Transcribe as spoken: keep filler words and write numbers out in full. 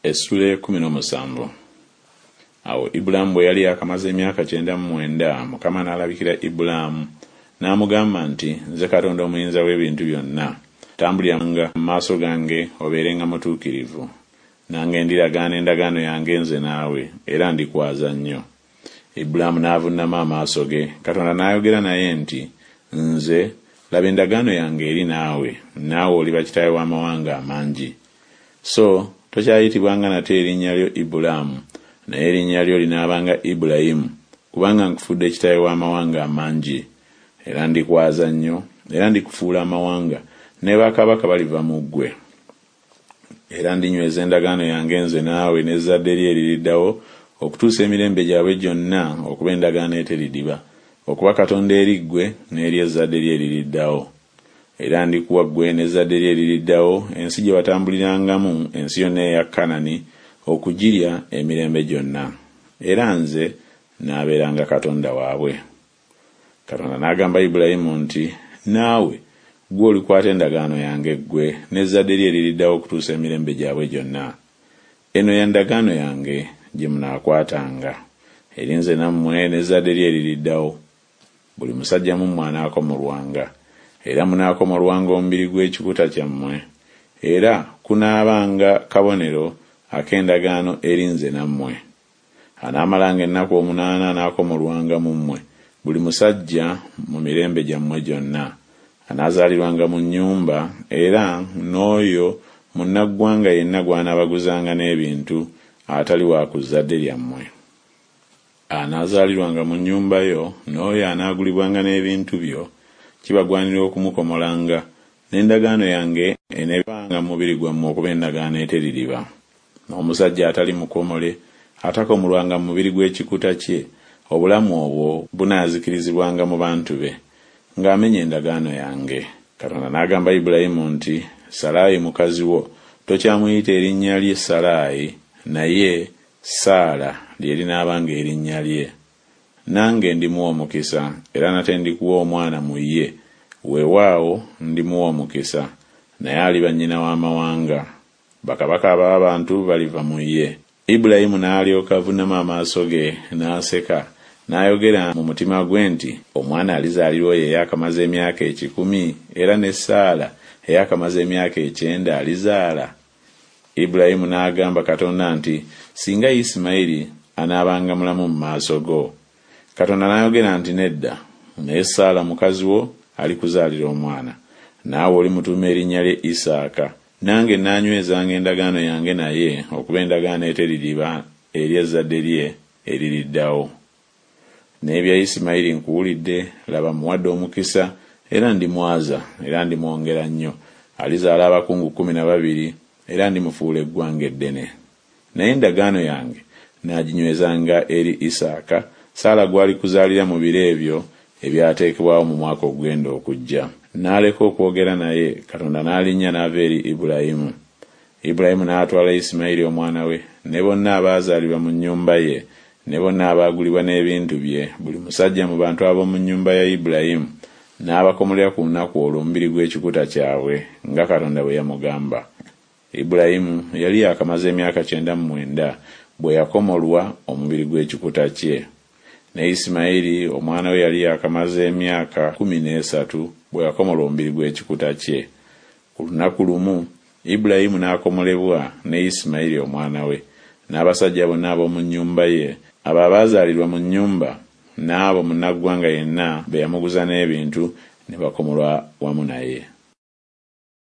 Essuula ey'ekkumi n'omusanvu. Awo Ibulaamu bwe yali yaakamaze emyaka kyenda mu mwenda, Mukama n'alabikira Ibulaamu, n'amugamba nti, Nze Katonda Omuyinza w'ebintu byonna, tambuliranga mu maaso gange obeerenga mutuukirivu. Nange ndiragaana endagaano yange nze naawe, era ndikwaza nnyo. Ibulaamu n'avunnama amaaso ge, Katonda n'ayogera naye nti, Nze, laba endagaano yange eri naawe, naawe oliba kitaawe w'amawanga amangi. So tokyayitibwanga nate erinnya lyo Ibulaamu, naye erinnya lyo linaabanga Ibulayimu, kubanga nkufudde kitaawe w'amawanga amangi. Era ndikwaza nnyo, era ndikufuula amawanga, ne bakabaka baliva mu ggwe. Era ndinyweza endagaano yange nze naawe n'ezzadde lyo eririddawo okutuusa emirembe gyabwe gyonna okuba endagaano eteridiba, okuba Katonda eri ggwe n'eri ezzadde lyo eririddawo. Era ndikuwa ggwe n'ezzadde lyo eririddawo ensi gye watambulirangamu, ensi yonna eya Kanani, okugirya emirembe gyonna. Era nze naabeeranga Katonda waabwe. Katonda n'agamba Ibulayimu nti, Naawe ggwe olikwata endagaano yange ggwe n'ezzadde lyo eririddawo okutuusa emirembe gyabwe gyonna. Eno ya ndagaano yange gye munaakwatanga, eri nze nammwe n'ezzadde lyo eririddawo. Buli musajja mu mmwe anaakomolwanga, era munaakomolwanga omubiri gw'ekikuta kyammwe, era kunaabanga kabonero ak'endagaano eri nze nammwe. Anaamalanga ennaku omunaana anaakomolwanga mu mmwe, buli musajja mu mirembe gyammwe gyonna, anaazaalirwanga mu nnyumba, era n'oyo munnaggwanga yenna gw'anaabaguzanga n'ebintu, atali wa ku zzadde lyammwe. Anaazaalirwanga mu nnyumba yo, n'oyo anaagulibwanga n'ebintu byo, kibagwanira okumukomolanga, n'endagaano yange eneebanga mu mubiri gwammwe okuba endagaano eteririba. N'omusajja atali mukomole, atakomolwanga mu mubiri gw'ekikuta kye, obulamu obwo bunaazikirizibwanga mu bantu be, ng'amenya endagaano yange. Katonda n'agamba Ibulayimu nti, Salaayi mukazi wo tokyamuyita erinnya lye Salaayi, naye Saala lye linaabanga erinnya lye. Nange ndimuwa omukisa, era nate ndikuwa omwana mu ye, weewaawo ndimuwa omukisa, naye aliba nnyina w'amawanga. Bakabaka ab'abantu baliva mu ye. Ibulayimu n'alyoka avunnama amaaso ge, n'aseka, n'ayogera mu mutima gwe nti, Omwana alizaalirwa oyo eyaakamaze emyaka ekikumi, era ne Saala eyaakamaze emyaka ekyenda alizaala? Ibulayimu n'agamba Katonda nti, Singa Isimayiri anaabanga mulamu mu maaso go! Katonda n'ayogera nti, Nedda, naye Saala mukazi wo alikuzaalira omwana, naawe olimutuuma erinnya lye Isaaka. Nange naanywezanga endagaano yange naye okuba endagaano eteririba eri ezzadde lye eririddawo. N'ebya Isimayiri nkuwulidde, laba mmuwadde omukisa, era ndimwaza, era ndimwongera nnyo, alizaala abakungu kkumi na babiri, era ndimufuula eggwanga eddene. Naye endagaano yange naaginywezanga eri Isaaka, Saala gw'alikuzaalira mu biro ebyo ebyateekebwawo mu mwaka ogugenda okujja. N'aleka okwogera naye, Katonda n'alinnya n'ava eri Ibulayimu. Ibulayimu n'atwala Isimayiri omwana we, ne bonna abaazaalibwa mu nnyumba ye, ne bonna abaagulibwa n'ebintu bye, buli musajja mu bantu ab'omu nnyumba ya Ibulayimu, n'abakomolera ku lunaku olwo omubiri gw'ekikuta kyabwe, nga Katonda bwe yamugamba. Ibulayimu yali yaakamaze emyaka kyenda mu mwenda bwe yakomolwa omubiri gw'ekikuta kye. Ne Isimayiri omwana we yali yaakamaze emyaka kkumi n'esatu bwe yakomolwa omubiri gw'ekikuta kye. Ku lunaku lumu Ibulayimu n'akomolebwa ne Isimayiri omwana we, n'abasajja bonna ab'omu nnyumba ye, abo abaazaalirwa mu nnyumba, n'abo munnaggwanga yenna be yamuguza n'ebintu, ne bakomolwa wamu naye.